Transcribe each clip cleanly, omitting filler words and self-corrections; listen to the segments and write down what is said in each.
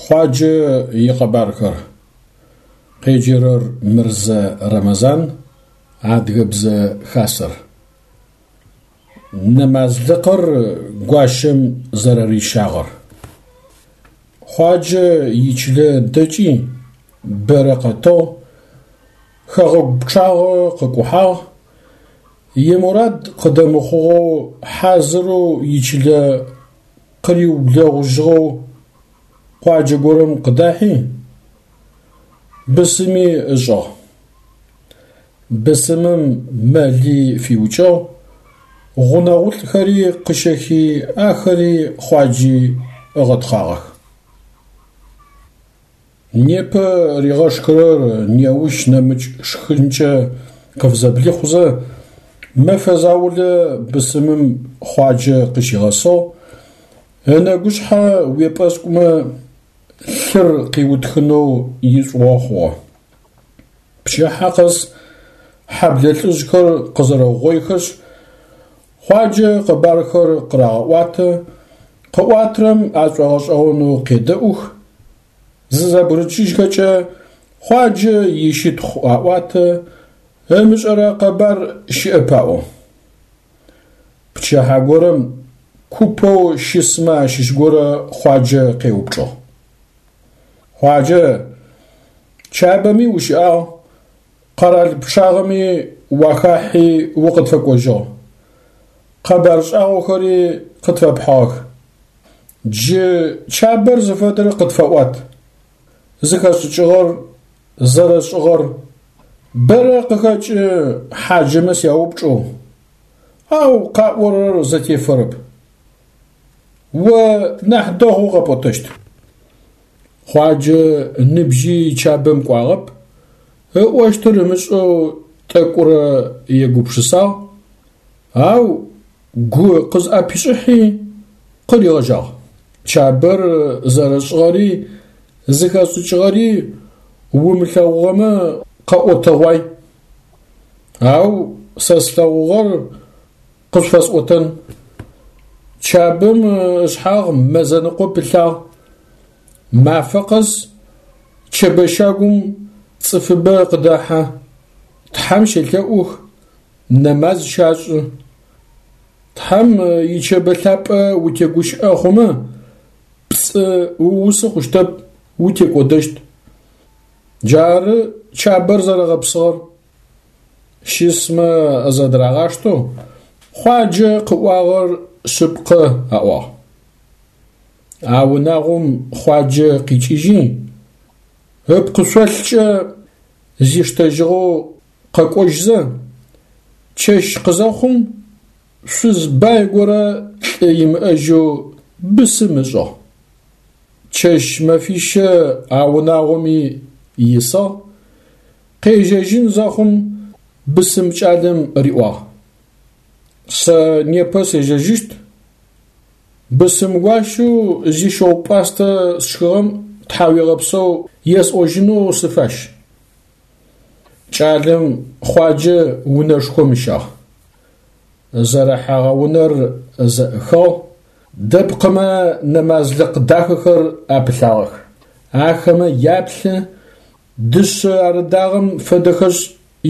Хъуаджэ икъэбархэр. Къеджэрэр Мырзэ Рэмэзан, Адыгэбзэ Хасэр. Нэмазлыкъыр гуащэм зэрэрищагъэр. Хъуаджэ ичылэ дэкӏи бэрэ къэтыгъ, хэгъэгу пчъагъэ къыкӏухьагъ, имурад къыдэмыхъугъэу хьазырэу ичылэ къыриублэгъужьыгъэу къуаджэ горэм къыдахьи, бысыми ышӏыгъ. Бысымым мэли фиукӏыгъ, гъунэгъулӏхэри къыщэхи ахэри Хъуаджи ыгъэтхъагъэх. Непэ ригъэшхырэр неущ нэмыкӏ шхынкӏэ къыфзэблихъузэ, мэфэ заулэ бысымым Хъуаджэ къыщигъэсыгъ, ынэгушъхьэ уепӏэскӏумэ лъыр къиутхынэу ишӏугъо хъугъэ. Пчыхьэ къэс хьэблэ лӏыжъхэр къызэрэугъоихэшъ, Хъуаджэ къэбархэр къырагъэӏуатэ, къыӏуатэрэм ашӏогъэшӏэгъонэу къедэӏух, зызэбгырыкӏыжьхэкӏэ Хъуаджэ ищытхъу аӏуатэ, ымышӏэрэ къэбар щыӏэп аӏо. Пчыхьэ горэм купэу щысмэ ащыщ горэ Хъуаджэ къеупчӏыгъ. Хъуаджэ, Чабэми ущыӏагъ, къэрал пчъагъэми уахахьи укъытфэкӏожьыгъ, къэбар шӏагъохэри къытфэпхьыгъэх. Джы Чабэр зыфэдэр къытфэӏуат, зыхэшӏыкӏыгъэр, зэрэшӏыгъэр. Бэрэ къыхэкӏы хьаджэмэ сяупчӏэу, ау къаӏорэр зэтефэрэп. О нахь дэгъоу къэпӏотэщт. Хъуаджэ ныбжьи Чабэм кӏуагъэп, ыӏощтыр ымышӏэу тӏэкӏурэ егупшысагъ, ау гу къызӏэпишӏыхьи къыригъэжьагъ. Чабэр зэрэшӏыгъэри зыхэшӏыкӏыгъэри умылъэгъугъэмэ къэӏотэгъуай. Ау сэ слъэгъугъэр къышъуфэсӏотэн. Чабэм ышъхьагъ мэзэныкъо пылъагъ. Мафэ къэс Чэбэ щагум цӏыфыбэ къыдэхьэ, Тхьэм щелъэӏух, нэмаз щашӏы. Тхьэм ичэбэ лъапӏэ утегущыӏэ хъумэ, пцӏы уусы хъущтэп, утекӏодэщт. Джары Чабэр зэрэгъэпсыгъэр. Щысмэ зэдырагъаштэу, Хъуаджэ къыӏуагъэр шъыпкъэ аӏуагъ. А унагъом Хъуаджэ къикӏыжьи, ыпкъышъолъкӏэ зиштэжьыгъэу къэкӏожьзэ, чэщ къызэхъум шъуз бай горэ лӏы имыӏэжьэу бысым ышӏыгъ. Чэщ-мэфищэ а унагъоми исыгъ, Къежьэжьын зэхъум бысым кӏалэм риӏуагъ: Сэ непэ сежьэжьыщт, бысым гуащэу зищыгъу-пӏастэ сшхыгъэм тхьауегъэпсэу есӏожьынэу сыфащ. Кӏалэм Хъуаджэ унэшхом ыщагъ. Зэрыхьэгъэ унэр зэӏыхыгъ, дэпкъымэ нэмазлыкъ дахэхэр апылъагъэх. Ахэмэ яплъы, Дышъэ арыдагъэм фэдэхэшъ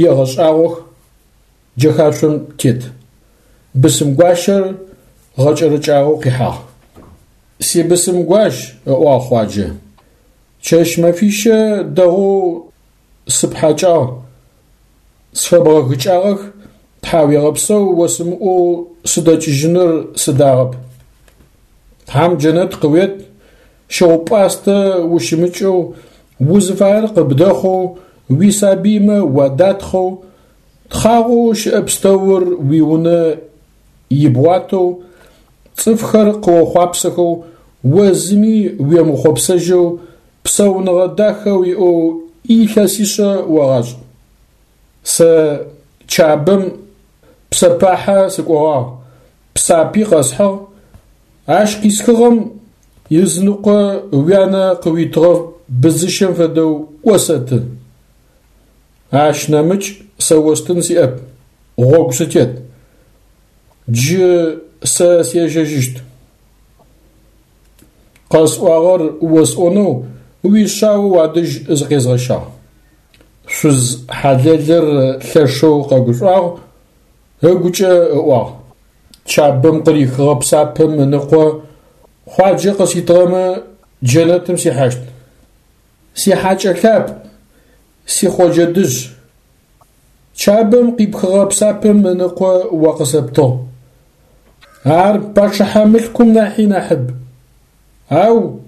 егъэшӏагъох, джэхашъом тет. Бысымгуащэр гъэкӏэрэкӏагъэу къихьагъ. Сибысымгуащ, ыӏуагъ Хъуаджэ, чэщ-мэфищэ дэгъоу сыпхьакӏагъ, сфэбгъэгыкӏагъэх, тхьауегъэпсэу осымыӏоу сыдэкӏыжьыныр сыдагъэп. Тхьам джэнэт къыует, щыгъу-пӏастэ ущымыкӏэу, узыфаер къыбдэхъоу, уисабыймэ уадатхъэу, тхъагъоу щыӏэ пстэур уиунэ ибгъуатэу, цӏыфхэр къыохъуапсэхэу, о зыми уемыхъопсэжьэу, псауныгъэ дахэ уиӏэу илъэсишъэ огъашӏ. Сэ Чабэм псэпахьэ сыкӏогъагъ, псапи къэсхьыгъ, ащ къисхыгъэм ызыныкъо уянэ къыуитыгъэ быдзыщэм фэдэу осэты. Ащ нэмыкӏ сэ остын сиӏэп, гъогу сытет. Джы сэ сежьэжьыщт. Къэсӏуагъэр осӏонэу уишъао уадэжь зыкъезгъэщагъ. Шъуз хьалэлыр лъэшэу къэгушӏуагъ, ыгукӏэ ыӏуагъ: Чабэм къырихыгъэ псапэм ыныкъо Хъуаджэ къыситыгъэмэ джэнэтым сихьащт. Сихьакӏэ лъапӏ, си Хъоджэ дышъ. Чабэм къипхыгъэ псапэм ыныкъо о къысэптыгъ. Ар пачъыхьэ мылъкум нахьи нахьыб. Ау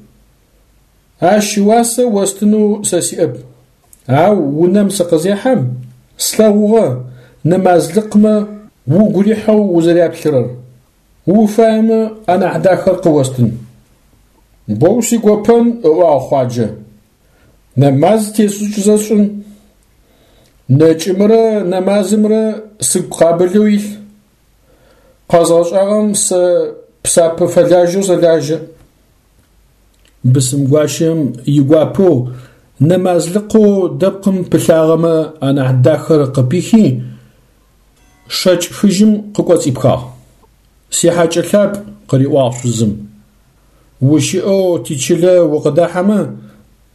ащ ыуасэ остынэу сэ сиӏэп. Ау унэм сыкъызехьэм, слъэгъугъэ нэмазлыкъмэ угу рихьэу узэряплъырэр. Уфаемэ, анахь дахэр къыостын. Боу сигопэн, ыӏуагъ Хъуаджэ. Нэмаз тесшӏыкӏызэ сшӏын. Нэкӏымрэ нэмазымрэ сыгу къабылэу илъ. Къэзгъэшӏагъэм сэ псапэ фэлажьэу сэлажьэ. Бысымгуащэм игуапэу нэмазлыкъэу дэпкъым пылъагъэмэ анахь дахэр къыпихи, шэкӏ фыжьым къыкӏоцӏипхагъ. Сихьакӏэ лъапӏ, къыриӏуагъ шъузым. Ущыӏэу тичылэ укъыдахьэмэ,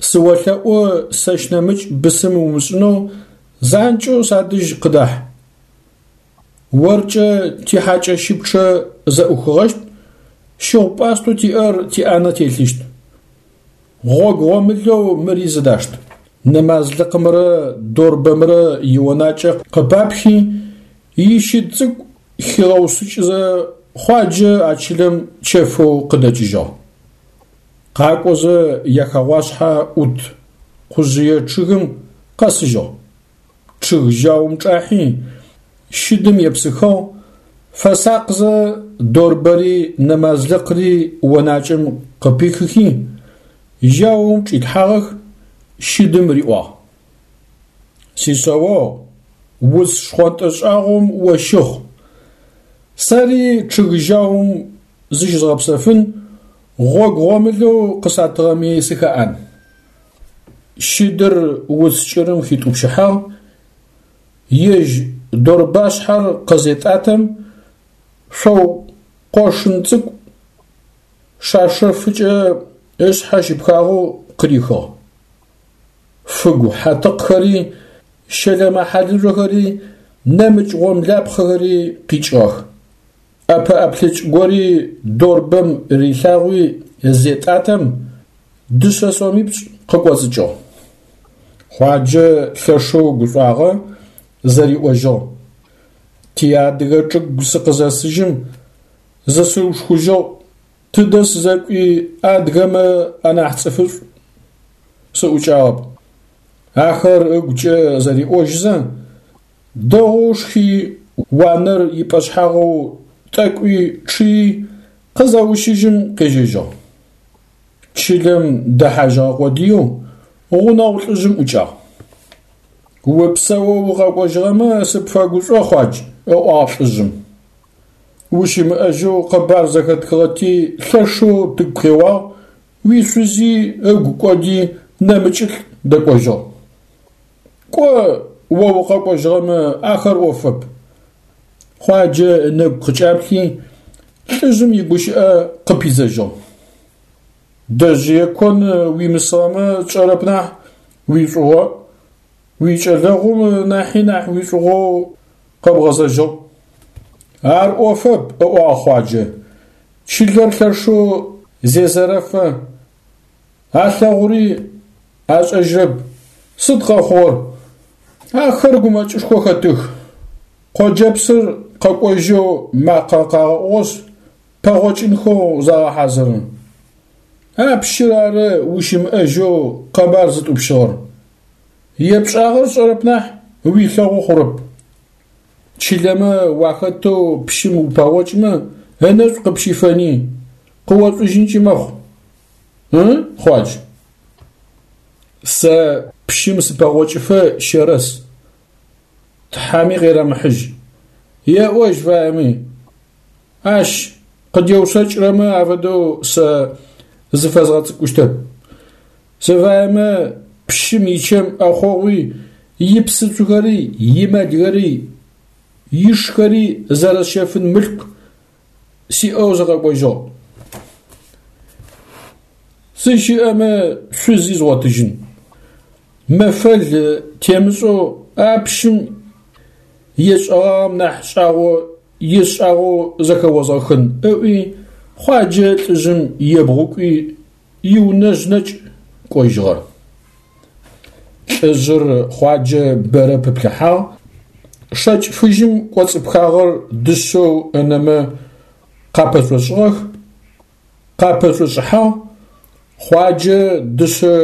сыолъэӏу сэщ нэмыкӏ бысым умышӏынэу занкӏэу садэжь къыдахь. Оркӏэ тихьакӏэщыпчъэ зэӏухыгъэщт, щыгъу-пӏастэу тиӏэр тиӏанэ телъыщт. Гъогу гъомылэу мыри зыдашт. Нэмазлыкъымрэ дорбэмрэ ионакӏэ къыпапхи, ищыд цӏыкӏу хигъэушъыкӏызэ Хъуаджэ а чылэм чэфэу къыдэкӏыжьыгъ. Къакӏозэ яхэгъуашъхьэ ӏут къужъые чъыгым къэсыжьыгъ. Чъыг жьаум чӏахьи, щыдым епсыхыгъ, фэсакъзэ дорбэри нэмазлыкъри онакӏэм къыпихыхи, жьаум чӏилъхьагъэх, щыдым риӏуагъ. Сишъэогъу, уц шхъонтӏэ шӏагъом ощыхъу, сэри чъыг жьаум зыщызгъэпсэфын, гъогу гъомылэу къысатыгъэми сыхэӏан. Щыдыр уц кӏырым хитӏупщыхьагъ, ежь дорбашъхьэр къызетӏатэм, шъоу къошын цӏыкӏу шаршэфыкӏэ ышъхьэ щыпхагъэу къырихыгъ. Фыгу хьатыкъхэри, щэлэмэ-хьалыжъохэри, нэмыкӏ гъомлапхъэхэри къикӏыгъэх. ӏэпэӏэплъэкӏ гори дорбэм рилъагъуи зетӏатэм, дышъэ сомипшӏ къыкӏоцӏыкӏыгъ. Хъуаджэ лъэшэу гушӏуагъэ, зэриӏожьыгъ: Тиадыгэ чӏыгу сыкъызэсыжьым, зысыушхужьыгъ, тыдэ сызэкӏуи адыгэмэ анахь цӏыфышӏу сыӏукӏагъэп. Ахэр ыгукӏэ зэриӏожьызэ, Дэгъоу шхи, уанэр ипӏэшъхьагъэу тӏэкӏуи чъыи, къызэущыжьым къежьэжьыгъ. Чылэм дэхьажьыгъэ къодыеу гъунэгъу лӏыжъым ӏукӏагъ. Упсэоу укъэкӏожьыгъэмэ сыпфэгушӏо, Хъуадж, ыӏуагъ лӏыжъым. Ущымыӏэжьэу къэбар зэхэтхыгъэти лъэшэу тыгу къеуагъ, уишъузи ыгу кӏоди нэмыкӏылӏ дэкӏожьыгъ. Кӏо, о укъэкӏожьыгъэмэ, ахэр ӏофэп. Хъуаджэ ынэгу къыкӏаплъи, лӏыжъым игущыӏэ къыпидзэжьыгъ. Дэжъые кон уимысыгъэмэ тшӏэрэп нахь уишӏугъо, уикӏэлэгъум нахьи нахь уишӏугъоу къэбгъэзэжьыгъ. Ар ӏофэп, ыӏуагъ Хъуаджэ. Чылэр лъэшэу зезэрэфэ, Алъэгъури ашӏэжьрэп. Сыд къэхъугъэр? Ахэр гумэкӏышхо хэтых. Къоджэпсыр къэкӏожьэу макъэ къагъэӏугъэшъ, пэгъокӏынхэу загъэхьазыры. А пщыр ары ущымыӏэжьэу къэбар зытӏупщыгъэр. Епшӏагъэр сшӏэрэп нахь, уилъэгъу хъурэп. Чылэмэ уахэтэу пщым упэгъокӏмэ, ынэшӏу къыпщифэни, къыошӏужьынкӏи мэхъу. Ы, Хъуадж? Сэ пщым сыпэгъокӏыфэ щэрэс. Тхьэми къерэмыхьыжь. Еӏожь фаеми. Ащ къыдеушъэкӏрэмэ афэдэу сэ зыфэзгъэцӏыкӏущтэп. Сыфаемэ пщым ичэм ӏэхъогъуи, ипсыцухэри, имэлхэри, ишхэри зэрэсщэфын мылъку сиӏэу сыкъэкӏожьыгъ. Сыщыӏэмэ, шъузи згъотыжьын. Мэфэл темышӏэу а пщым есшӏэгъагъэм нахь шӏагъо есшӏагъэу зэхэозгъэхын, ыӏуи, Хъуаджэ лӏыжъым ебгъукӏуи, иунэжъ нэкӏ кӏожьыгъэ. Лӏыжъыр Хъуаджэ бэрэ пыплъыхьагъ, шэкӏ фыжьым кӏоцӏыпхагъэр дышъэу ынэмэ къапэшӏошӏыгъэх, къапэшӏошӏыхьагъ, Хъуаджэ дышъэ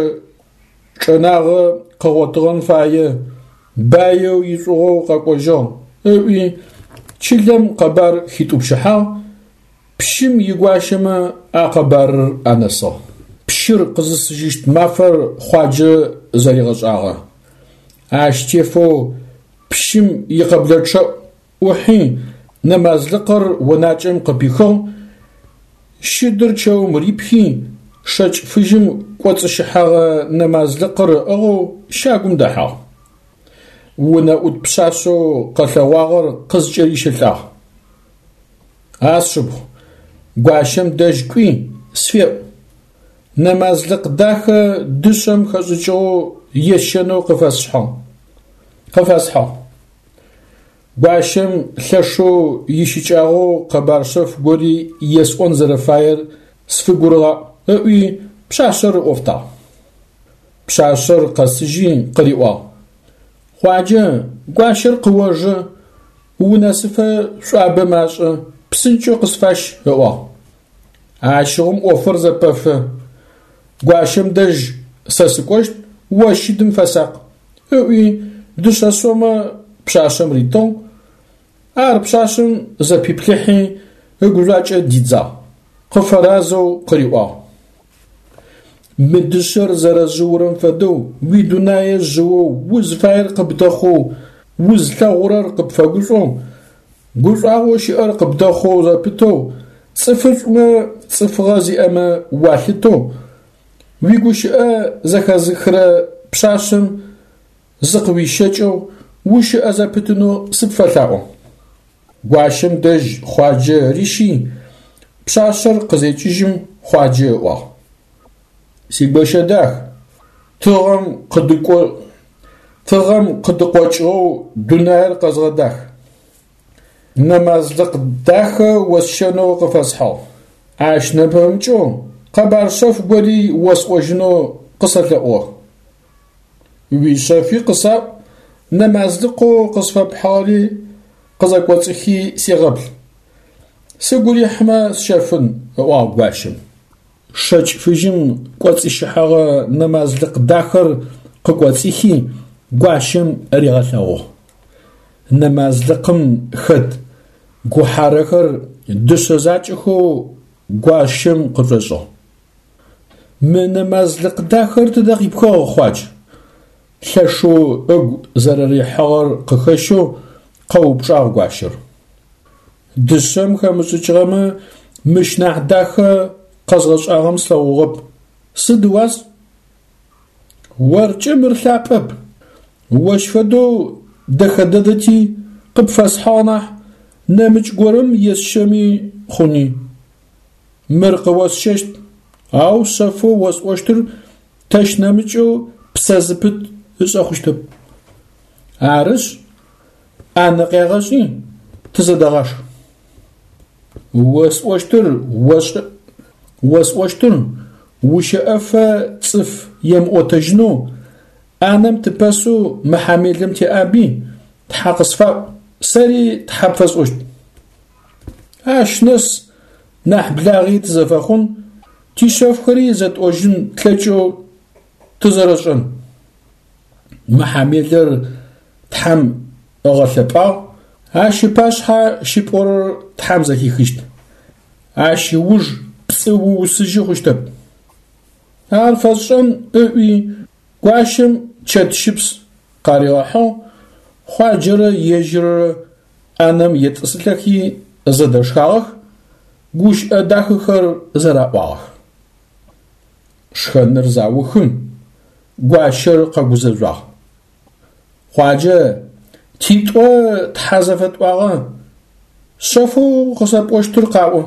чӏэнагъэ къыгъотыгъэн фае, баеу ишӏугъоу къэкӏожьыгъ, ыӏуи, чылэм къэбар хитӏупщыхьагъ, пщым игуащэмэ а къэбарыр анэсыгъ. Пщыр къызысыжьыщт мафэр Хъуаджэ зэригъэшӏагъэ. Ащ тефэу пщым икъэблэчъэӏу ӏухьи, нэмазлыкъыр онакӏэм къыпихыгъ, щыдыр чэум рипхи, шэкӏ фыжьым кӏоцӏыщыхьэгъэ нэмазлыкъыр ыӏыгъэу щагум дэхьагъ. Унэӏут пшъашъэу къэлъэгъуагъэр къызкӏэрищэлӏагъ. А сшыпхъу, гуащэм дэжь кӏуи, сфеӏу. Нэмазлыкъ дахэ дышъэм хэшӏыкӏыгъэу есщэнэу къыфэсхьыгъ. Къыфэсхьыгъ. Гуащэм лъэшэу ищыкӏагъэу къэбар шъэф гори есӏон зэрэфаер сфыгурыгъаӏу, ыӏуи пшъашъэр ыӏофтагъ. Пшъашъэр къэсыжьи къыриӏуагъ: Хъуаджэ, гуащэр къыожэ, унэсыфэ шӏуабэ машӏэ, псынкӏэу къысфащ, ыӏуагъ. Ащыгъум ӏофыр зэпэфы. Гуащэм дэжь сэ сыкӏощт, о щыдым фэсакъ, ыӏуи дышъэ сомэ пшъашъэм ритыгъ. Ар пшъашъэм зэпиплъыхьи, ыгужъуакӏэ дидзагъ, къыфэразэу къыриӏуагъ. Мы дышъэр зэрэжъыурэм фэдэу уидунае жъыоу, узфаер къыбдэхъоу, узлъэгъурэр къыпфэгушӏоу, гушӏуагъоу щыӏэр къыбдэхъоу зэпытэу, цӏыфышӏумэ цӏыфыгъэ зиӏэмэ уалъытэу, уигущыӏэ зэхэзыхырэ пшъашъэм зыкъыуищэкӏэу ущыӏэ зэпытынэу сыпфэлъаӏо. Гуащэм дэжь Хъуаджэ рищи, пшъашъэр къызекӏыжьым Хъуаджэ ыӏуагъ: Сигощэ дах, тыгъэм къыдыкӏо тыгъэм къыдыкъокӏыгъэу дунаир къэзгъэдах. Нэмазлыкъ дахэ осщэнэу къыфэсхьыгъ. Ащ нэпэмыкӏэу къэбар шъэф гори осӏожьынэу къысэлъэӏугъэх. Уишъэфи къысаӏу, нэмазлыкъэу къысфэпхьыгъэри къызэкӏоцӏыхи сегъэплъ. Сыгу рихьымэ сщэфын, ыӏуагъ гуащэм. Шэкӏ фыжьым кӏоцӏыщыхьэгъэ нэмазлыкъ дахэр къыкӏоцӏихи, гуащэм ригъэлъэгъугъ. Нэмазлыкъым хэт гухьарэхэр дышъэ закӏэхэу гуащэм къышӏошӏыгъ. Мы нэмазлыкъ дахэр тыдэ къипхыгъ, Хъуадж? Лъэшэу ыгу зэрэрихьыгъэр къыхэщэу къэупчӏагъ гуащэр. Дышъэм хэмышӏыкӏыгъэмэ, мыщ нахь дахэ къэзгъэшӏагъэм слъэгъугъэп. Сыд ыуас? Оркӏэ мыр лъапӏэп. Ощ фэдэу дэхэ дэдэти къыпфэсхьыгъ нахь, нэмыкӏ горэм есщэми хъуни. Мыр къыосщэщт, ау шъэфэу осӏощтыр тэщ нэмыкӏэу псэ зыпыт ышӏэ хъущтэп. Арышъ, ӏанэ къегъэшӏи, тызэдэгъашх. Осӏощтыр ошӏэ, осӏощтыр ущэӏэфэ цӏыф емыӏотэжьынэу ӏанэм тыпэсэу мыхьамелым теӏаби, Тхьэ къысфаӏу, сэри Тхьэ пфэсӏощт. Ащ нэс нахь благъи тызэфэхъун, тишъэфхэри зэтӏожьын тлъэкӏэу тызэрэшӏэн. Мыхьамелэр Тхьэм ыгъэлъэпӏагъ, ащ ыпашъхьэ щыпӏорэр Тхьэм зэхихыщт. Ащ ыуж пцӏы уусыжьы хъущтэп. Ар фэсшӏэн ыӏуи, гуащэм чэт щыпс къаригъэхьыгъ, Хъуаджэрэ ежьыррэ ӏанэм етӏысылӏэхи зэдэшхагъэх, гущыӏэ дахэхэр зэраӏуагъэх. Шхэныр заухым, гуащэр къэгузэжъуагъ. Хъуаджэ, титӏо Тхьэ зэфэтӏуагъэ, шъэфэу къысэпӏощтыр къаӏо.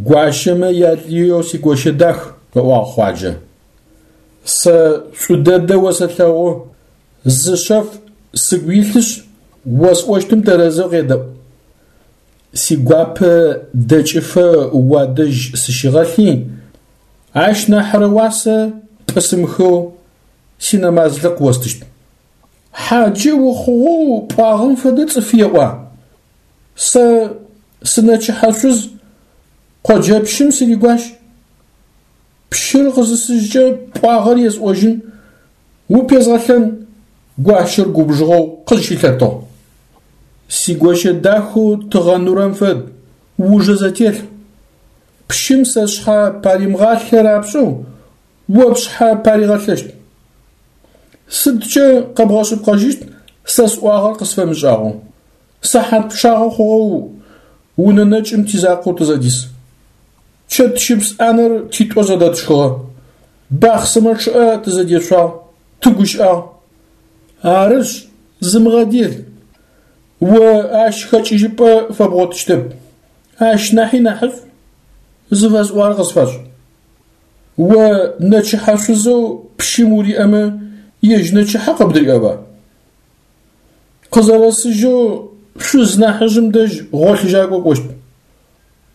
Гуащэмэ ялыеу сигощэ дах, ыӏуагъ Хъуаджэ. Сэ шӏу дэдэ осэлъэгъу, зы шъэф сыгу илъышъ, осӏощтым тэрэзэу къедэӏу. Сигуапэ дэкӏыфэ уадэжь сыщыгъэлъи, ащ нахьрэ уасэ пӏысымыхэу синэмазлыкъ остыщт. Хьаджэ ухъугъэу пӏуагъэм фэдэ цӏыф еӏуа? Сэ сынэчыхьэ шъуз, къоджэпщым сыригуащ. Пщыр къызысыжькӏэ пӏуагъэр есӏожьын, упезгъэлъэн, гуащэр губжыгъэу къызщылъэтыгъ. Сигощэ дахэу тыгъэ нурэм фэд, ужэ зэтелъ. Пщым сэ сшъхьэ паримыгъалъэ рапшӏэу, о пшъхьэ паригъэлъэщт. Сыдкӏэ къэбгъэшъыпкъэжьыщт сэ сӏуагъэр къысфэмышӏагъэу? Сыхьат пчъагъэ хъугъэу унэ нэкӏым тизакъоу тызэдис. Чэт щыпс ӏанэр титӏо зэдэтшхыгъэ. Бахъсымэ чъыӏэ тызэдешъуагъ, тыгущыӏагъ. Арышъ, зымыгъэдел. О ащ хэкӏыжьыпӏэ фэбгъотыщтэп. Ащ нахьи нахьышӏу зыфэсӏуагъэр къысфэшӏ. О нэчыхьэ шъузэу пщым уриӏэмэ, ежь нэчыхьэ къыбдыриӏэба? Къызэрэсыжьэу шъуз нахьыжъым дэжь гъолъыжьакӏо кӏощт.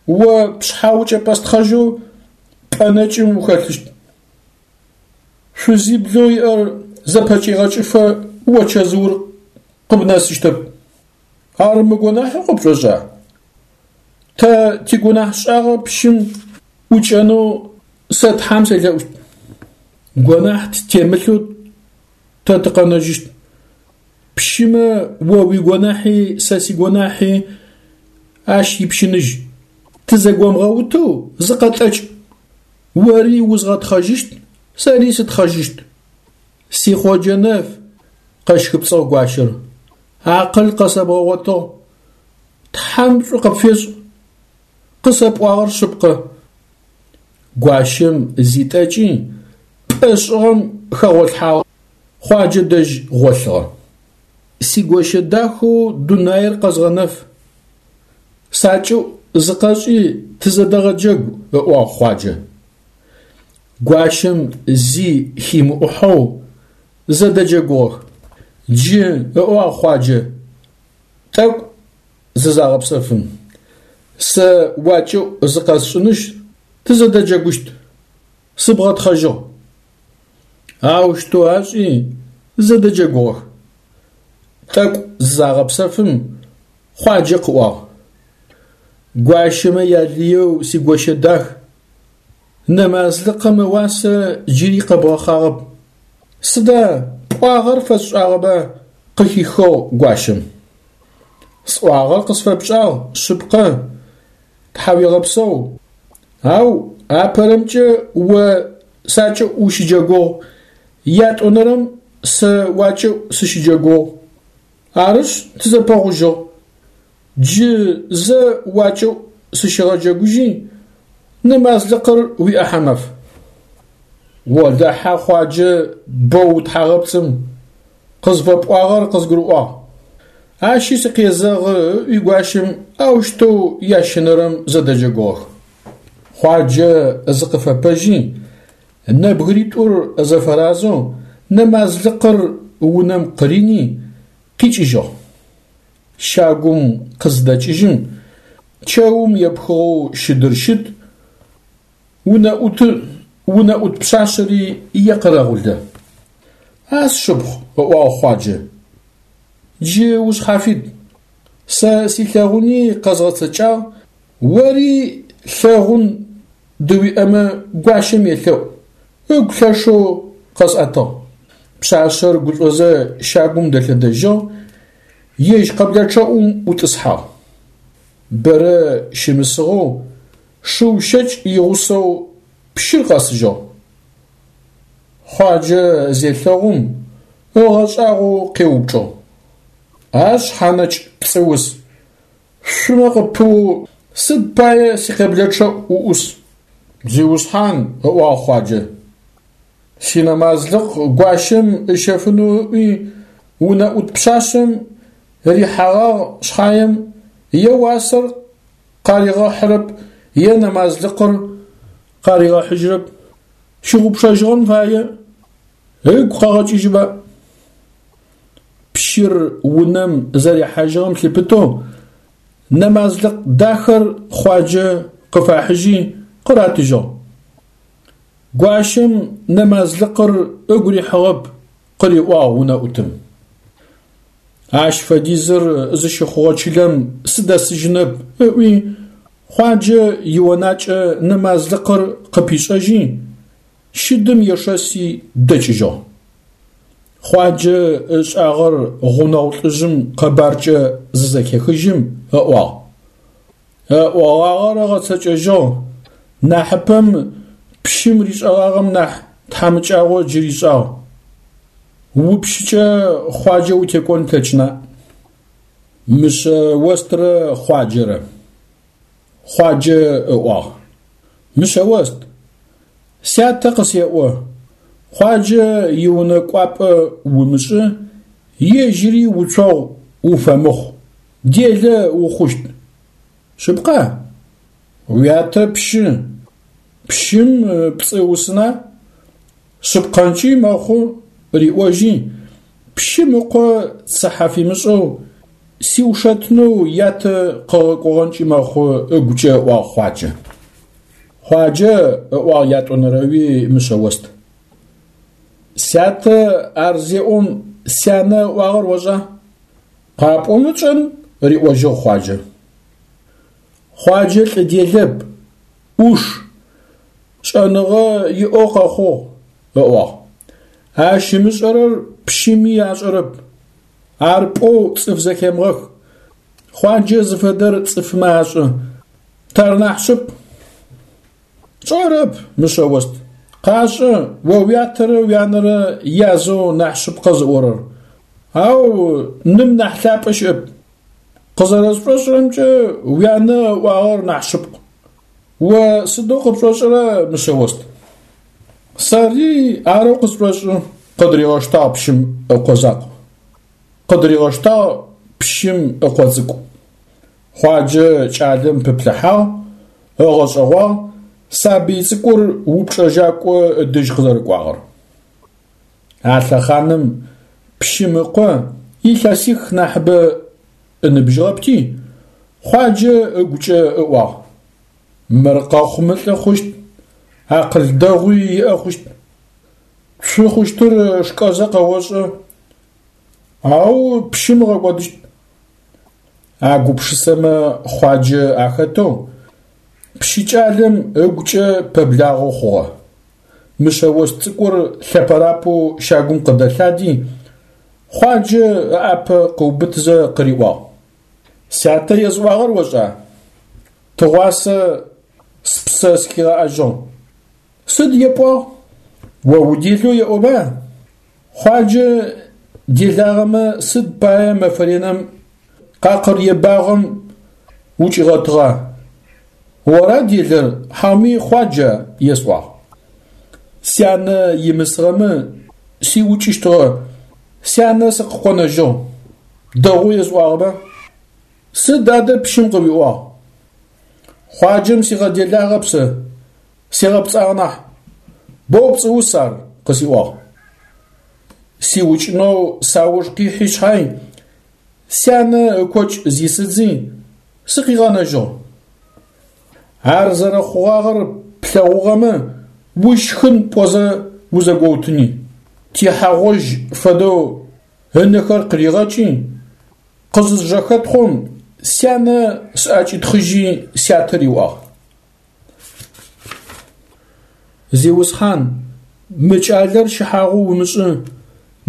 О пшъхьэ укӏэпӏэстхъэжьэу пӏэ нэкӏым ухэлъыщт. Шъузиблэу иӏэр зэпэкӏигъэкӏыфэ о чэзыур къыбнэсыщтэп. Ар мыгонахьэу къыпшӏошӏа? Тэ тигунахьшӏагъэ пщым ӏукӏэнэу сэ Тхьэм селъэӏущт. Гонахь ттемылъэу тэ тыкъэнэжьыщт. Пщымэ о уигонахьи сэ сигонахьи ащ ипщыныжь. Тызэгомыгъэутэу зыкъэтӏэкӏ. Ори узгъэтхъэжьыщт, сэри сытхъэжьыщт. Си Хъоджэ нэф, къэщхыпцӏыгъ гуащэр, акъыл къэсэбгъэгъотыгъ. Тхьэм шӏу къыпфешӏ. Къысэпӏуагъэр шъыпкъэ. Гуащэм зитӏэкӏи, пӏэ шӏыгъэм хэгъолъхьагъ, Хъуаджэ дэжь гъолъыгъэ. Сигощэ дахэу дунаир къэзгъэнэф. Сакӏыӏу зыкъэшӏи тызэдэгъэджэгу, ыӏуагъ Хъуаджэ. Гуащэм зи химыӏухьэу зэдэджэгугъэх. Джы, ыӏуагъ Хъуаджэ, тӏэкӏу зызагъэпсэфым. Сэ уакӏыӏу зыкъэсшӏынышъ, тызэдэджэгущт. Сыбгъэтхъэжьыгъ. Аущтэу ашӏи, зэдэджэгугъэх. Тӏэкӏу зызагъэпсэфым, Хъуаджэ къыӏуагъ. Гуащэмэ ялыеу сигощэ дах, нэмазлыкъым ыуасэ джыри къэбгъэхъагъэп. Сыда пӏуагъэр фэсшӏагъэба? къыхихыгъ гуащэм. Сӏуагъэр къысфэпшӏагъ, шъыпкъэ, тхьауегъэпсэу. Ау апэрэмкӏэ о сакӏыӏу ущыджэгугъ, ятӏонэрэм сэ уакӏыӏу сыщыджэгугъ. Арышъ, тызэпэгъужьыгъ. Джы зэ уакӏыӏу сыщыгъэджэгужьи, нэмазлыкъыр уиӏэхьэмаф. Олахьэ, Хъуаджэ, боу утхьагъэпцӏым, къызфэпӏуагъэр къызгурыӏуагъ. Ащи сыкъезэгъы, ыӏуи гуащэм аущтэу ящэнэрэм зэдэджэгугъэх. Хъуаджэ зыкъыфэпэжьи, нэбгыритӏур зэфэразэу нэмазлыкъыр унэм къырини, къикӏыжьыгъ. Щагум къызыдэкӏыжьым, чэум епхыгъэу щыдыр щыт, унэӏутыр, унэӏут пшъашъэри екъэрэгъулэ. А сшыпхъу, ыӏуагъ Хъуаджэ, джы ушъхьафит. Сэ силъэгъуни къэзгъэцэкӏагъ, ори лъэгъун дыуиӏэмэ гуащэм елъэӏу, ыгу лъэшэу къэсӏэтыгъ. Пшъашъэр гушӏозэ щагум дэлъэдэжьыгъ, ежь къэблэчъэӏум ӏутӏысхьагъ. Бэрэ щымысыгъэу шыу щэкӏ игъусэу пщыр къэсыжьыгъ. Хъуаджэ зелъэгъум, ыгъэшӏагъоу къеупчӏыгъ. А шъхьэнэкӏ пцӏыус, шъумэ къыпыу сыд пае сикъэблэчъэӏу уӏус? Зиусхьан, ыӏуагъ Хъуаджэ, синэмазлыкъ гуащэм ыщэфынэу ыӏуи, унэӏут пшъашъэм рихьэгъагъ шъхьаем, е уасэр къаригъэхьырэп, е нэмазлыкъыр къаригъэхьыжьырэп. Щыгъупшэжьыгъэн фае, ыгу къэгъэкӏыжьыба. Пщыр унэм зэрихьажьыгъэм лъыпытэу нэмазлыкъ дахэр Хъуаджэ къыфахьыжьи къыратыжьыгъ. Гуащэм нэмазлыкъыр ыгу рихьыгъэп, къыриӏуагъ унэӏутым. Ащ фэдизыр зыщыхъугъэ чылэм сыдэсыжьынэп, ыӏуи, Хъуаджэ ионакӏэ нэмазлыкъыр къыпишӏэжьи, щыдым ешэси дэкӏыжьыгъ. Хъуаджэ ышӏагъэр гъунэгъу лӏыжъым къэбаркӏэ зызэхехыжьым ыӏуагъ. Ыӏогъагъэр ыгъэцэкӏэжьыгъ, нахьыпэм пщым ришӏэгъагъэм нахь тхьамыкӏагъо джы ришӏагъ. Упщыкӏэ Хъуаджэ утекӏон плъэкӏына? Мышъэострэ Хъуаджэрэ. Хъуаджэ ыӏуагъ. Мышъэост, сятэ къысеӏо, Хъуаджэ иунэ кӏуапӏэ умышӏы, ежьыри уцогъу уфэмыхъу, делэ ухъущт. Шъыпкъа? Уятэ пщы. Пщым пцӏы ыусына? Шъыпкъэнкӏи мэхъу, риӏожьи, пщым ыкъо цыхьэ фимышӏэу, сиушэтынэу ятэ къыгъэкӏогъэнкӏи мэхъу ыгукӏэ ыӏуагъ Хъуаджэ. Хъуаджэ, ыӏуагъ ятӏонэрэуи Мышъэост. Сятэ ар зеӏом сянэ ыӏуагъэр ошӏа? Къапӏомэ тшӏэн, риӏожьыгъ Хъуаджэ. Хъуаджэ лӏы делэп, ӏуш, шӏэныгъэ иӏэу къэхъугъ, ыӏуагъ. Ащ ымышӏэрэр пщыми ашӏэрэп. Ар пӏоу цӏыф зэхемыгъэх. Хъуаджэ зыфэдэр цӏыфмэ ашӏэ. Тэр нахь шъыпкъ. Тшӏэрэп, Мышъэост. Къашӏэ, о уятэрэ уянэрэ язэу нахь шъыпкъэ зыӏорэр. Ау ным нахь лъапӏэ щыӏэп. Къызэрэсшӏошӏырэмкӏэ, уянэ ыӏуагъэр нахь шъыпкъ. О сыдэу къыпшӏошӏырэ, Мышъэост? Сэри арэу къысшӏошӏы, къыдыригъэштагъ пщым ыкъо закъу. Къыдыригъэштагъ пщым ыкъо цӏыкӏу. Хъуаджэ кӏалэм пыплъыхьагъ, ыгъэшӏэгъуагъ сабый цӏыкӏур упчӏэжьакӏо ыдэжь къызэрэкӏуагъэр. А лъэхъаным пщым ыкъо илъэсих нахьыбэ ыныбжьыгъэпти, Хъуаджэ ыгукӏэ ыӏуагъ, Мыр къэхъумэ лӏы хъущт, акъыл дэгъуи иӏэ хъущт. Цу хъущтыр шкӏэзэ къэошӏэ, ау пщым ыгъэкӏодыщт. А гупшысэмэ Хъуаджэ ахэтэу пщыкӏалэм ыгукӏэ пэблагъэу хъугъэ. Мышъэост цӏыкӏур лъэпэрапэу щагум къыдэлъади, Хъуаджэ ыӏапэ къыубытызэ къыриӏуагъ. Сятэ есӏуагъэр ошӏа? Тыгъуасэ спсэ сыхигъэӏэжьыгъ. Сыд епӏуагъ? О уделэу еӏоба? Хъуаджэ делагъэмэ сыд пае мэфэ ренэм къакъыр ебагъэм укӏигъэтыгъа? Ора делэр, хьауми Хъуаджа? есӏуагъ. Сянэ имысыгъэмэ сиукӏыщтыгъэ, сянэ сыкъыкъонэжьыгъ. Дэгъоу есӏуагъэба? Сыд адэ пщым къыуиӏуагъ? Хъуаджэм сигъэделагъэп сэ, сигъэпцӏагъ нахь. Боу пцӏыус ар, къысиӏуагъ. Сиукӏынэу сауж къихьи шъхьай, сянэ ыкокӏ зисыдзи, сыкъигъэнэжьыгъ. Ар зэрэхъугъагъэр плъэгъугъэмэ, ущхын пӏозэ узэгоутыни. Тихьагъожь фэдэу ынэхэр къыригъэкӏи, къызызжэхэтхъом, сянэ сӏэкӏитхъыжьи сятэ риӏуагъ. Зиусхьан, мы кӏалэр щыхьагъу умышӏы,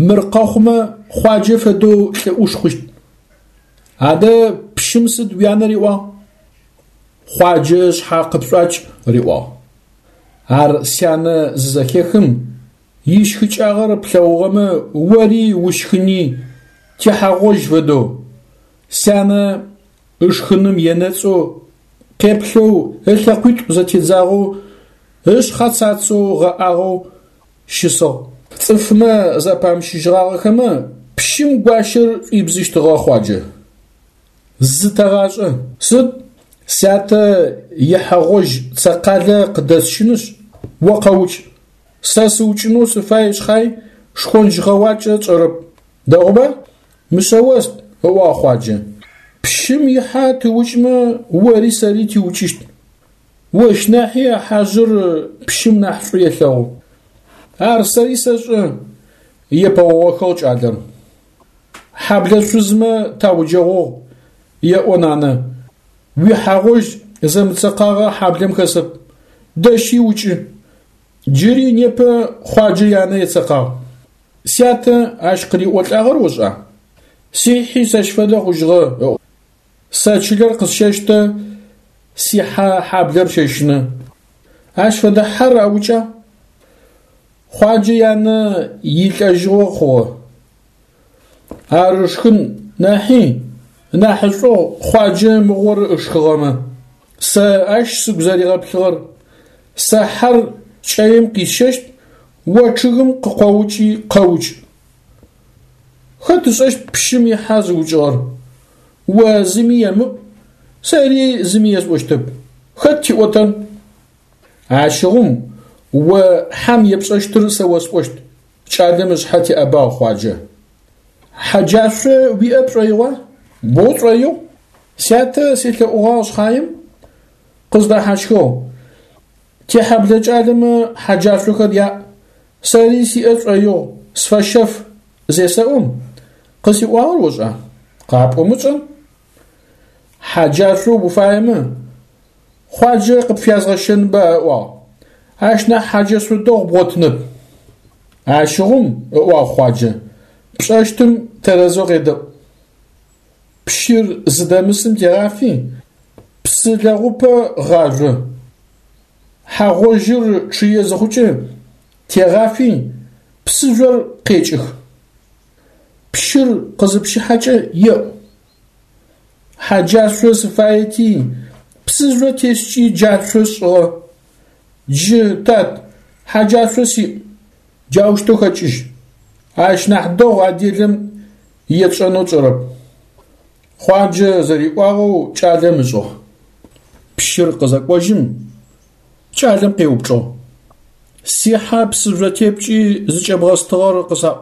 мыр къэхъумэ, Хъуаджэ фэдэу лӏы ӏуш хъущт. Адэ пщым сыд уянэ риӏуагъ? Хъуаджэ ышъхьэ къыпшӏуакӏ, риӏуагъ. Ар сянэ зызэхехым, ищхыкӏагъэр плъэгъугъэмэ, ори ущхыни, техьагъожь фэдэу, сянэ ышхыным енэцӏэу, къеплъэу, ылъэкъуитӏу зэтедзагъэу, ышъхьэ цацэу гъэӏагъэу щысыгъ. Цӏыфмэ зэпамыщыжьыгъагъэхэмэ, пщым гуащэр шӏуибзыщтыгъэ Хъуаджэ. Зытэгъашӏэ. Сыд? Сятэ ихьэгъожь цэкъалэ къыдэсщынышъ, о къэукӏ. Сэ сыукӏынэу сыфай шъхьай, шхонч гъэуакӏэ тшӏэрэп. Дэгъуба? Мышъэост, ыӏуагъ Хъуаджэ. Пщым ихьэ тыукӏмэ, ори сэри тиукӏыщт. Ощ нахьи а хьажъыр пщым нахь шӏу елъэгъу. Ар сэри сэшӏэ, епэогъэхыгъ кӏалэр. Хьэблэ шъузмэ тауджэгъугъ, еӏо нанэ. Уихьэ гъожь зэмыцэкъагъэ хьаблэм хэсэп. Дэщи укӏы. Джыри непэ Хъуаджэ янэ ецэкъагъ. Сятэ ащ къыриӏолӏагъэр ошӏа? Сихьи сэщ фэдэ хъужьыгъэ, ыӏу. Сэ чылэр къысщэщтэ, сихьэ хьаблэр щэщынэ. Ащ фэдэ хьэр аукӏа? Хъуаджэ янэ илӏэжьыгъо хъугъэ. Ар ышхын нахьи, нахьышӏугъ Хъуаджэ мыгъор ышхыгъэмэ. Сэ ащ сыгу зэригъэплъыгъэр, сэ хьэр кӏэим къисщэщт, о чъыгым къыкъоукӏи къэукӏ. Хэт ышӏэщт пщым ихьэ зыукӏыгъэр? О зыми емыӏу, сэри зыми есӏощтэп. Хэт тиӏотэн? Ащыгъум о хьэм епшӏэщтыр сэ осӏощт, кӏалэм ышъхьэ теӏэбагъ Хъуаджэ. Хьэджашъо уиӏэ пшӏоигъуа? Боу сшӏоигъу. Сятэ селъэӏугъагъ шъхьаем, къыздэхьащхыгъ. Тихьэблэ кӏалэмэ хьэджашъохэр яӏ, сэри сиӏэ шӏоигъу, сфэщэф, зесэӏом, къысиӏуагъэр ошӏа? Къапӏомэ тшӏэн. Хьэджашъо уфаемэ, Хъуаджэ къыпфязгъэщэнба ыӏуагъ. Ащ нахь хьэджэшъо дэгъу бгъотынэп. Ащыгъум, ыӏуагъ Хъуаджэ, пшӏэщтым тэрэзэу къедэӏу. Пщыр зыдэмысым тегъафи, псы лэгъупэ гъажъо. Хьэ гъожьыр чъые зыхъукӏэ, тегъафи, псыжъор къекӏых. Пщыр къызыпщыхьэкӏэ еӏу. Хьэджашъо сыфаети, псыжъо тескӏи джашъо сшӏыгъэ. Джы, тат, хьэджашъо сиӏ, джаущтэу хэкӏыжь. Ащ нахь дэгъу а делэм етшӏэнэу тшӏэрэп. Хъуаджэ зэриӏуагъэу кӏалэм ышӏыгъ. Пщыр къызэкӏожьым, кӏалэм къеупчӏыгъ. Сихьэ псыжъо тепкӏи зыкӏэбгъэстыгъэр къысаӏу.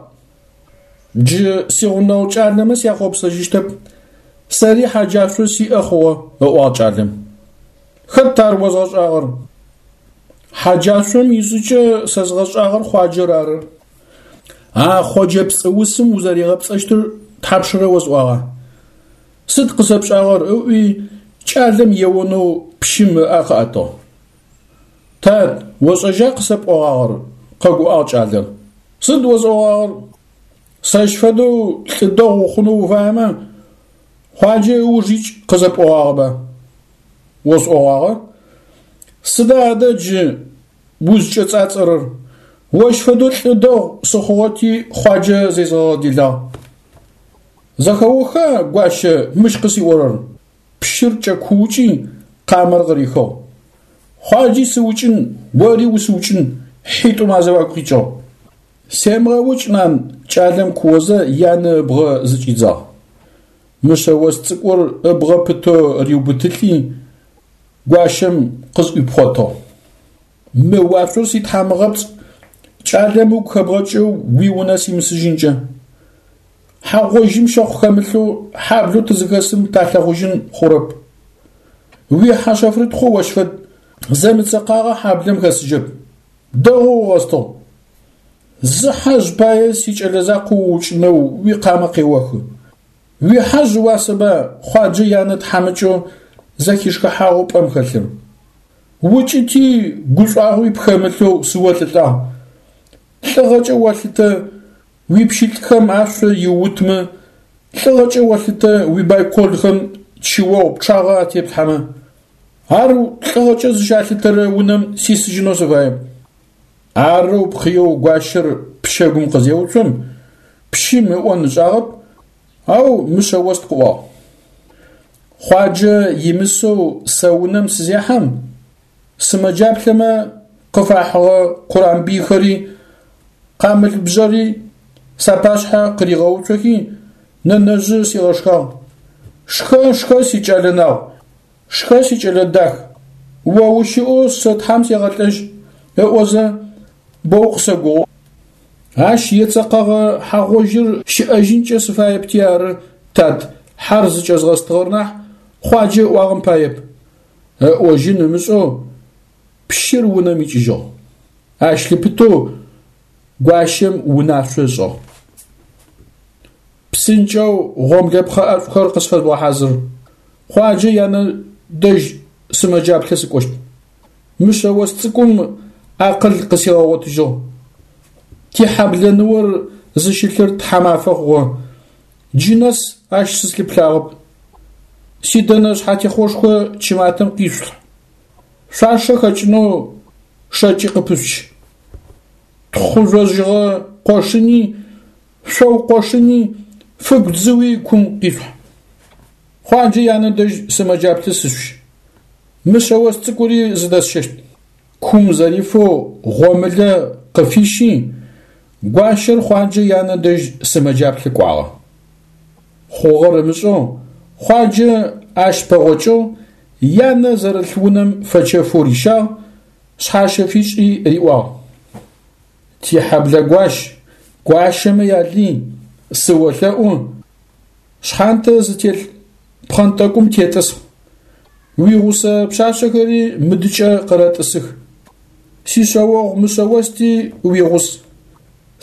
Джы сигъунэгъу кӏалэмэ сяхъопсэжьыщтэп, сэри хьэджашъо сиӏэ хъугъэ, ыӏуагъ кӏалэм. Хэт ар озгъэшӏагъэр? Хьэджашъом ишӏыкӏэ сэзгъэшӏагъэр Хъуаджэр ары. А Хъоджэ пцӏыусым узэригъэпцӏэщтыр тхьапшрэ осӏуагъа? Сыд къысэпшӏагъэр? ыӏуи кӏалэм еонэу пщым ыӏэ къыӏэтыгъ. Тат, ошӏэжьа къысэпӏогъагъэр? къэгуӏагъ кӏалэр. Сыд осӏогъагъэр? Сэщ фэдэу лӏы дэгъу ухъунэу уфаемэ, Хъуаджэ ыуж икӏ къызэпӏогъагъэба? Осӏогъагъэ. Сыда адэ джы узкӏэцӏацӏэрэр? Ощ фэдэу лӏы дэгъу сыхъугъэти Хъуаджэ зезгъэгъэделагъ. Зэхэоха, гуащэ, мыщ къысиӏорэр? Пщыр кӏэкуукӏи, къамэр къырихыгъ. Хъуаджи сыукӏын, ори усыукӏын, хьитӏум азыфагу къикӏыгъ. Семыгъэукӏ, нан, кӏалэм куозэ янэ ыбгъэ зыкӏидзагъ. Мышъэост цӏыкӏур ыбгъэ пытэу риубытылӏи, гуащэм къызӏуипхъотыгъ. Мы уашъор ситхьамыгъэпцӏ, кӏалэм ыгу хэбгъэкӏэу уиунэ симысыжьынкӏэ. Хьэ гъожьым щэхъу хэмылъэу хьаблэу тызыхэсым талъэгъужьын хъурэп. Уихьэ шъэфрытхъо ощ фэд, зэмыцэкъагъэ хьаблэм хэсыжьэп. Дэгъоу угъэстыгъ. Зы хьэжъ пае сикӏэлэ закъо уукӏынэу уикъамэ къеохы. Уихьэжъ ыуасэба Хъуаджэ янэ тхьамыкӏэу зэхишхыхьагъэу пӏэм хэлъыр. Укӏыти гушӏуагъуи пхэмылъэу сыолӏылӏагъ. Лӏыгъэкӏэ олъытэ уипщылӏхэм ашъо иуутмэ, лӏыгъэкӏэ олъытэ уибайколхэм чыогъу пчъагъэ атеплъхьэмэ. Ар лӏыгъэкӏэ зыщалъытэрэ унэм сисыжьынэу сыфаеп. Арэу пхъыеу гуащэр пчэгум къызеуцом, пщым ыӏон ышӏагъэп, ау Мышъэост къыӏуагъ. Хъуаджэ имысэу сэ унэм сызехьэм, сымэджаплъэмэ къыфахьыгъэ къурамбийхэри, къамылбжъэри сапашъхьэ къыригъэуцохи, нэнэжъы сигъэшхагъ. Шхэ, шхэ, сикӏэлэ нагъу, шхэ, сикӏэлэ дах, о ущыӏэу сэ Тхьам сегъэлӏэжь, ыӏозэ, Боу къысэгоу. Ащ ецэкъэгъэ хьэ гъожьыр щыӏэжьынкӏэ сыфаепти ары, тат, хьэр зыкӏэзгъэстыгъэр нахь, Хъуаджэ ыӏуагъэм паеп. Ыӏожьын ымышӏэу пщыр унэм икӏыжьыгъ. Ащ лъыпытэу гуащэм унашъо ышӏыгъ. Псынкӏэу гъомлэпхъэ ӏэшӏухэр къысфэжъугъэхьазыр. Хъуаджэ янэ дэжь сымэджаплъэ сыкӏощт. Мышъэост цӏыкӏум акъыл къысигъэгъотыжьыгъ. Тихьэблэ ныор зыщылъыр тхьамафэ хъугъэ. Джы нэс ащ сызлъыплъагъэп. Сидэнэ шъхьатехъошхо чыматэм къишъулъхь. Шъуашэ хэкӏынэу шэкӏи къыпышъуч. Тхъу жъожьыгъэ къошыни, шъоу къошыни, фыгу дзыуи кум къишъухь. Хъуаджэ янэ дэжь сымэджаплъэ сышъущ. Мышъэост цӏыкӏури зыдэсщэщт. Кум зэрифэу гъомылэ къыфищи, гуащэр Хъуаджэ янэ дэжь сымэджаплъэ кӏуагъэ. Хъугъэр ымышӏэу Хъуаджэ ащ пэгъокӏыгъ, янэ зэрылъ унэм фэчэфэу рищагъ, шъхьащэ фишӏи риӏуагъ. Тихьэблэ гуащ, гуащэмэ ялый, сыолъэӏу, шъхьантэ зытелъ пхъэнтӏэкӏум тетӏысхь. Уигъусэ пшъашъэхэри мыдыкӏэ къэрэтӏысых. Сишъэогъу Мышъэости уигъус.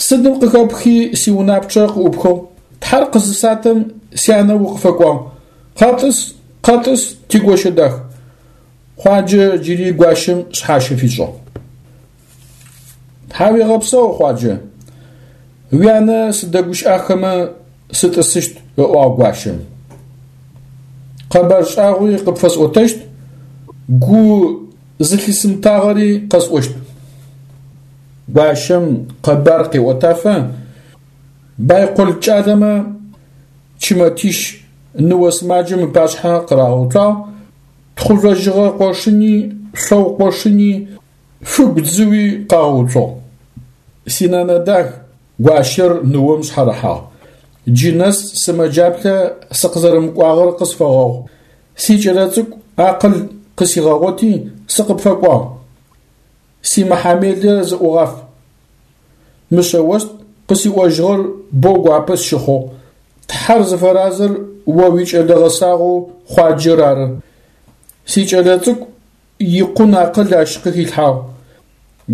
Сыдым къыхэпхи сиунапчъэ къыӏупхыгъ, Тхьэр къызысатэм сянэ укъыфэкӏуагъ. Къэтӏыс, къэтӏыс, тигощэ дах. Хъуаджэ джыри гуащэм шъхьащэ фишӏыгъ. Тхьауегъэпсэу, Хъуаджэ. Уянэ сыдэгущыӏахэмэ сытӏысыщт, ыӏуагъ гуащэм. Къэбар шӏагъуи къыпфэсӏотэщт, гу зылъысымытагъэри къэсӏощт. Гуащэм къэбар къеӏотафэ, байкол кӏалэмэ чымэтищ ныо сымаджэм ыпашъхьэ къырагъэуцуагъ, тхъу жъожьыгъэ къошыни, шъоу къошыни, фыгу дзыуи къагъэуцугъ. Синэнэ дах, гуащэр ныом шъхьарыхьагъ. Джы нэс сымэджаплъэ сыкъызэрэмыкӏуагъэр къысфэгъэгъу. Сикӏэлэцӏыкӏу акъыл къысигъэгъоти, сыкъыпфэкӏуагъ. Симыхьамелэ зыӏугъаф. Мышъэост къысиӏожьыгъэр боу гуапэ сщыхъугъ. Тхьэр зыфэразэр о уикӏэлэ гъэсагъэу Хъуаджэр ары. Сикӏэлэцӏыкӏу икъун акъыл ащ къыхилъхьагъ.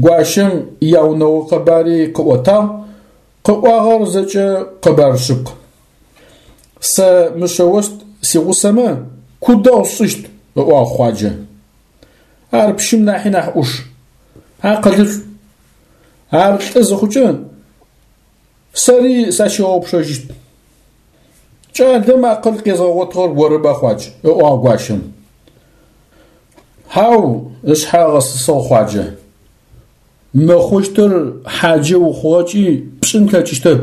Гуащэм яунэгъо къэбари къыӏотагъ, къыӏуагъэр зэкӏэ къэбар шъыпкъ. Сэ Мышъэост сигъусэмэ, ку дэгъу сшӏыщт, ыӏуагъ Хъуаджэ. Ар пщым нахьи нахь ӏуш, акъылышӏу. Ар лӏы зыхъукӏэ, сэри сащигъэгъупшэжьыщт. Кӏалэм акъыл къезгъэгъотыгъэр орыба, Хъуадж? ыӏуагъ гуащэм. Хьау, ышъхьэ ыгъэсысыгъ Хъуаджэ. Мыхъущтыр хьаджэ ухъугъэкӏи пшӏын плъэкӏыщтэп.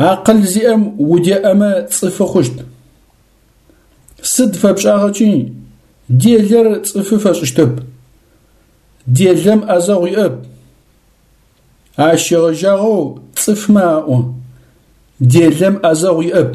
Акъыл зиӏэм удеӏэмэ цӏыфы хъущт. Сыд фэпшӏагъэкӏи, делэр цӏыфы фэшӏыщтэп. Делэм ӏэзэгъу иӏэп. Ащ щегъэжьагъэу цӏыфмэ аӏо: делэм ӏэзэгъу иӏэп.